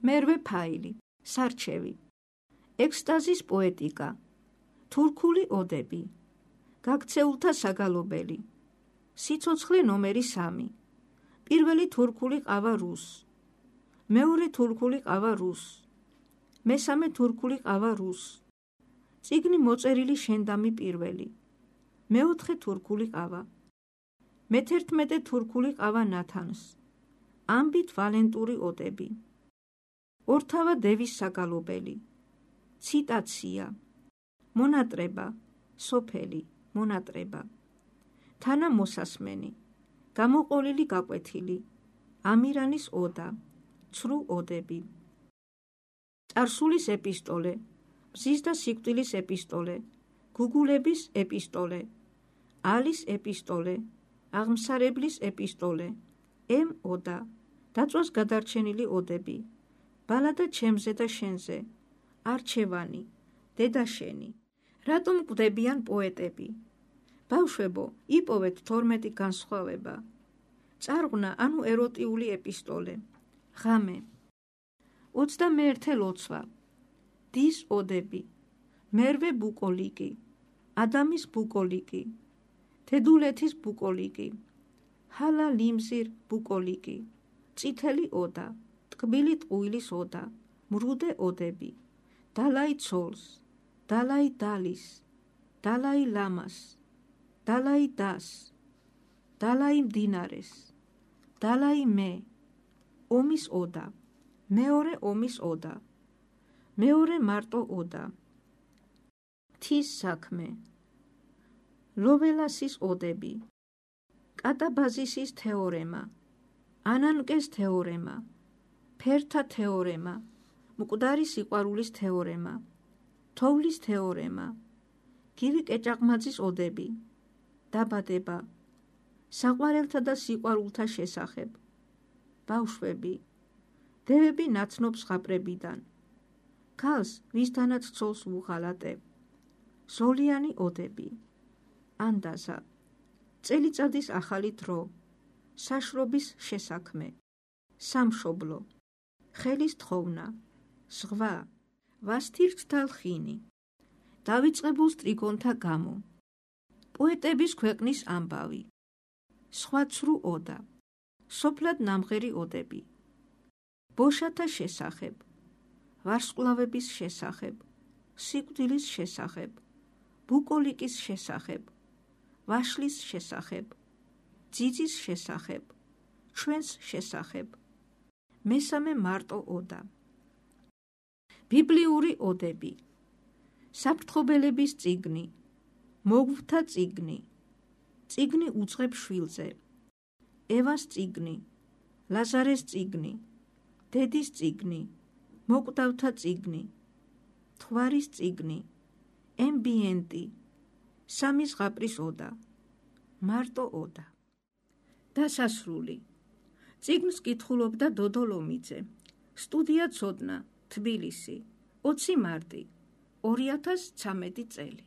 მერვე ფაილი, სარჩევი, ექსტაზის პოეტიკა, თურქული ოდები, გაქცეულთა საგალობელი, სიცოცხლე ნომერი 3, პირველი თურქული ყავა რუსს, მეორე თურქული ყავა რუსს, მესამე თურქული ყავა რუსს, წიგნი მოწერილი შენდამი პირველი, მეოთხე თურქული ყავა, მე-11 თურქული ყავა ნათანს, ამბით ვალენტური ოდები, ორთავა დევის საგალობელი, ციტაცია, მონატრება, სოფელი, მონატრება, თანა მოსასმენი, გამოყოლილი გაკვეთილი, ამირანის ოდა, ცრუ ოდები, წარსულის ეპისტოლე, მზის და სიკვდილის ეპისტოლე, გუგულების ეპისტოლე, ალის ეპისტოლე, აღმსარებლის ეპისტოლე, ოდა, დაწვას გადარჩენილი ოდები, ბალადა ჩემზე და შენზე, არჩევანი, დედაშენი, რატომ კვდებიან პოეტები? ბავშვებო, იპოვეთ 12 განსხვავება, წარღვნა ანუ ეროტიული ეპისტოლე, ღამე, 21 ლოცვა, დის ოდები, მერვე ბუკოლიკი, ადამის ბუკოლიკი, თედულეთის ბუკოლიკი, ჰალა ლიმზირ ბუკოლიკი, წითელი ოდა, ტკბილი ტყუილის ოდა, მრუდე ოდები, დალაი ცოლს, დალაი დალის, დალაი ლამას, დალაი დას, დალაი მდინარეს, დალაი მე, ომის ოდა, მეორე ომის ოდა, მეორე მარტო ოდა, მთის საქმე, ლოველასის ოდები, კატაბაზისის თეორემა, ანანკეს თეორემა, ფერთა თეორემა, მკვდარი სიყვარულის თეორემა, თოვლის თეორემა, გივი კეჭაყმაძის ოდები, დაბადება, საყვარელთა და სიყვარულთა შესახებ, ბავშვები, დევები ნაცნობ ზღაპრებიდან, ქალს ვისთანაც ცოლს ვუღალატებ, ზოლიანი ოდები, ანდაზა, წელიწადის ახალი დრო, საშრობის შესაქმე, სამშობლო, ხელის თხოვნა, ზღვა, ვასთირჩთა ლხინი, დავიწყებულ სტრიგონთა გამო, პოეტების ქვეყნის ამბავი, სხვა ცრუ ოდა, სოფლად ნამღერი ოდები, ბოშათა შესახებ, ვარსკვლავების შესახებ, სიკვდილის შესახებ, ბუკოლიკის შესახებ, ვაშლის შესახებ, ძიძის შესახებ, ჩვენს შესახებ, მესამე მარტო ოდა, ბიბლიური ოდები, საფრთხობელების წიგნი, მოგვთა წიგნი, წიგნი უძღებ შვილზე, ევას წიგნი, ლაზარეს წიგნი, დედის წიგნი, მოკვდავთა წიგნი, თვარის წიგნი, ემბიენტი, სამი ზღაპრის ოდა, მარტო ოდა. დასასრული. წიგნს კითხულობდა დოდო ლომიძე. სტუდია ცოდნა, თბილისი, 20 მარტი, 2013 წელი.